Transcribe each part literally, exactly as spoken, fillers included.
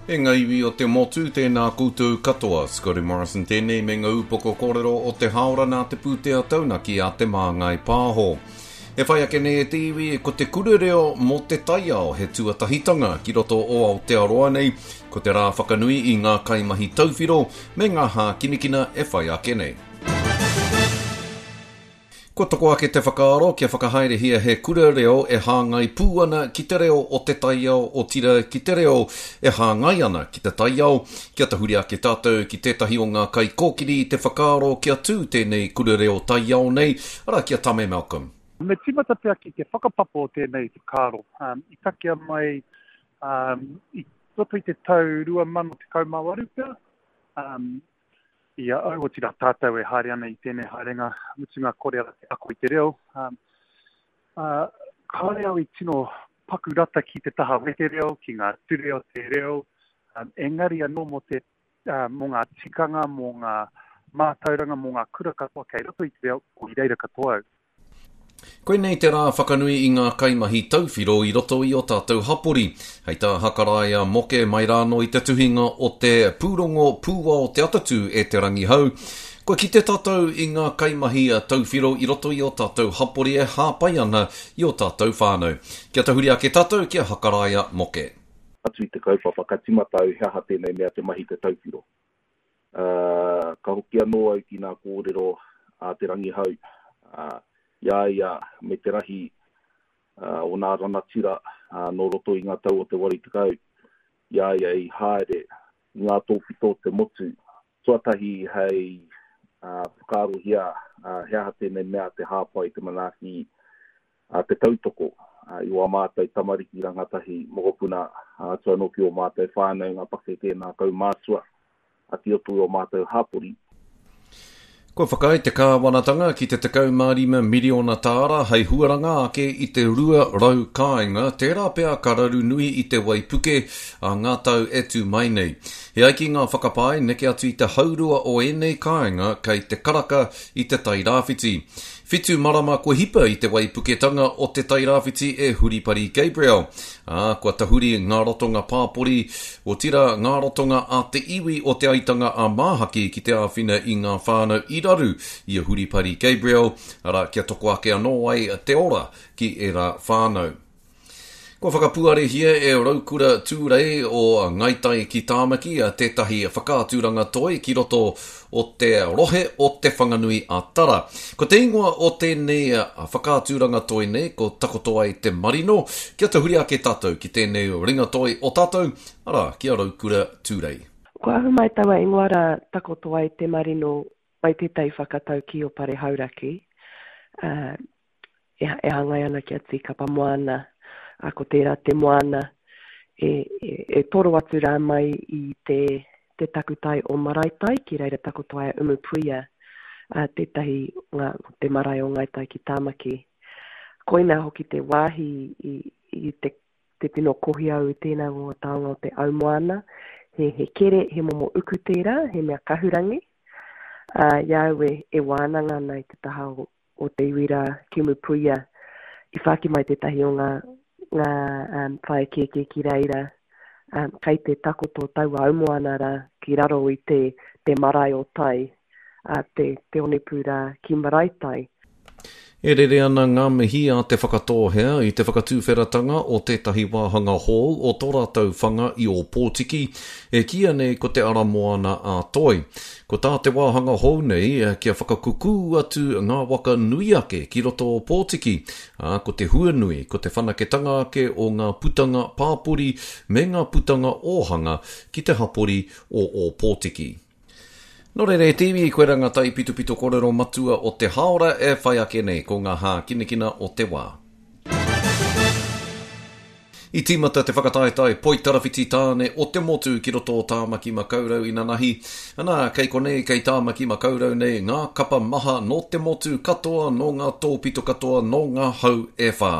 E ngā iwi o te motu, tēnā koutou katoa. Scotty Morrison tēnei me ngā upoko kōrero o te haora nā te pūtea taunaki a Te Māngai Pāho. E whai ake nei e te iwi, ko te kura reo mō te taiao he tuatahitanga ki roto o Aotearoa nei, ko te rā whakanui i ngā kaimahi tauwhiro me ngā hākinakina e whai ake nei. Kua toko ake te whakaaro kia whakahaerehia he kura reo e hāngai pū ana ki te reo o te taiao, otirā ki te reo e hāngai ana ki te taiao, kia tahuri ake tātou ki tētahi o ngā kaikōkiri i te whakaaro kia tū tēnei kura reo taiao nei, arā ki a Tame Malcolm. Me tīmata pea ki te whakapapa o tēnei whakaaro. Um, i takea mai um, i roto i te tau rua mano tekau mā waru pea, um, i a au, otirā tātou e haere ana i tēnei haerenga mutunga kore ara te ako i te reo. Um, uh, kāore au i tino paku rata ki te taha wete reo, ki ngā ture o te reo, um, engari anō mō te, uh, mō ngā tikanga, mō ngā mātauranga, mō ngā kura katoa kei roto i te reo, ko i reira katoa au. Koinei te rā whakanui i ngā kaimahi tauwhiro i roto i o tātou hapori. Hei tā Hakaraia Moke mai rānō i te tuhinga o te pūrongo pūao te atatū e Te Rangihau, kua kite tātou i ngā kaimahi tauwhiro i roto i o tātou hapori e hāpai ana i o tātou whānau. Kia tahuri ake tātou ki a Hakaraia Moke. Atu i te kaupapa, ka tīmata au he aha tēnei mea te mahi te tauwhiro. Uh, ka hoki anō au ki ngā kōrero a Te Rangihau, uh, i a ia me te rahi uh, o nā ranatira uh, nō roto i ngā tau o te waru tekau, i a ia i haere i ngā tōpito o te motu. Tuatahi hei uh, whakaarohia uh, he aha tēnei mea te hāpai, te manaaki, uh, te tautoko uh, i wā mātou tamariki rangatahi mokopuna, uh, atu anō ki o mātou whānau, ngā pakeke, ngā kaumātua, a ki roto i o mātou hapori. Kua whakaae te kāwanatanga ki te tekau mā rima miriona tāra hei huaranga ake i te rua rau kāinga, tērā pea ka raru nui i te waipuke a ngā tau e tū mai nei. He ai ki ngā whakapae neke atu i te haurua o ēnei kāinga kei te karaka i te Tairāwhiti. Whitu marama kua hipa i te waipuketanga o te Tairāwhiti e Huripari Gabriel. Ā, kua tahuri ngā ratonga pāpori, otirā ngā ratonga a te iwi o Te Aitanga a Māhaki ki te āwhina i ngā whānau i raru i a Huripari Gabriel, arā kia toko ake anō ai te ora ki ērā whānau. Kua whakapuarehia e Raukura Tūrei o Ngāi Tai ki Tāmaki tētahi whakaaturanga toi ki roto o te rohe o Te Whanganui a Tara. Ko te ingoa o tēnei whakaaturanga toi nei, ko Takoto ai te Marino, kia tahuri ake tātou ki tēnei ringa toi o tātou, arā, ki a Raukura Tūrei. Kua ahu mai taua ingoa rā Takoto ai te Marino mai tētahi whakataukī o Pare Hauraki, uh, e, e hāngai ana ki a Tīkapa Moana, a ko tērā te moana e, e, e toro atu rā mai i te, te takutai o Maraetai, ki reira takoto ai a Umupuia, a tētahi ngā, te marae o Ngāi Tai ki Tāmaki. Koinā hoki te wāhi i, i te, te tino kohi au i tēnā ngā taonga o te aumoana. He, he kere, he momo uku tērā, he mea kahurangi. Uh, i a au e, e wānanga ana i te taha o, o te iwi rā ki Umupuia, i whāki mai tētahi o ngā, ngā um, whaea kēkē ki reira, um, kei te takoto taua aumoana rā ki raro i te, te marae o Tai, uh, te, te onepū rā ki Maraetai. E rere ana ngā mihi a Te Whakatōhea i te whakatūwheratanga o tētahi wāhanga hou o tō rātou whanga i Ōpōtiki, e kīia nei ko te ara moana a Toi. Ko tā te wāhanga hou nei kia whakakukū atu ngā waka nui ake ki roto o Pōtiki, ā, ko te huanui, ko te whanaketanga ake o ngā putanga pāpori me ngā putanga ōhanga ki te hapori o Ōpōtiki. Nō reira e te iwi, koe rā ngā taipitopito kōrero matua o te haora e whai ake nei ko ngā hākinakina o te wā. I tīmata te whakataetae poitarawhiti tāne o te motu ki roto o Tāmaki Makaurau inanahi. Anā, kei konei, kei Tāmaki Makaurau nei, ngā kapa maha nō te motu katoa, nō ngā tōpito katoa, nō ngā hau e whā.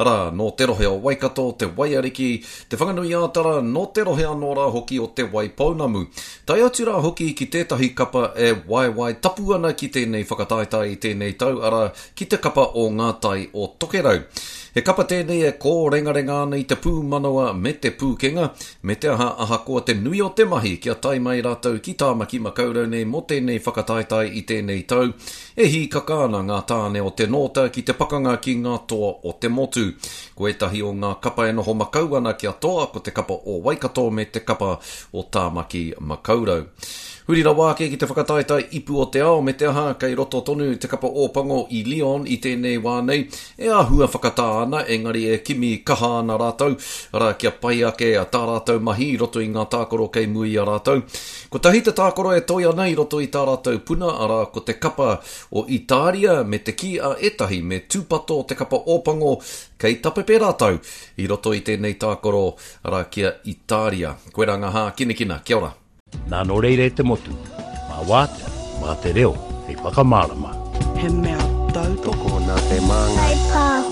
Arā, nō te rohe o Waikato, te Waiariki, te Whanganui-ā-Tara, nō te rohe anō rā hoki o Te Waipounamu. Tae atu rā hoki ki tētahi kapa e waewae tapu ana ki tēnei whakataetae i tēnei tau, arā, ki te kapa o ngā tai o Tokerau. He kapa tēnei e kōrengarenga ana i te pūmanawa me te pūkenga, me te aha ahakoa te nui o te mahi kia tae mai rātou ki Tāmaki Makaurau nei mō tēnei whakataetae i tēnei tau, e hīkaka ana ngā tāne o te Nōta ki te pakanga ki ngā toa o te motu. Ko ētahi o ngā kapa e noho makau ana kia toa ko te kapa o Waikato me te kapa o Tāmaki Makaurau. Huri rawa ake ki te whakataetae ipu o te ao me te aha kei roto tonu te kapa Ōpango i Lyon i tēnei wā nei e āhua whakatā ana engari e kimi kaha ana rātou, arā kia pai ake tā rātou mahi i roto i ngā tākaro kei mua i a rātou. Kotahi te tākaro e toe ana i roto i tā rātou puna, arā ko te kapa o Itāria me te kī a ētahi me tūpato te kapa Ōpango kei tapepe rātou i roto i tēnei tākaro, arā ki a Itāria. Koirā ngā hākinakina. Kia ora. Nā nō reira e te motu, mā wātea, mā te reo, hei whakamārama. He mea tautoko. Tokona te māngai. Kai pāho.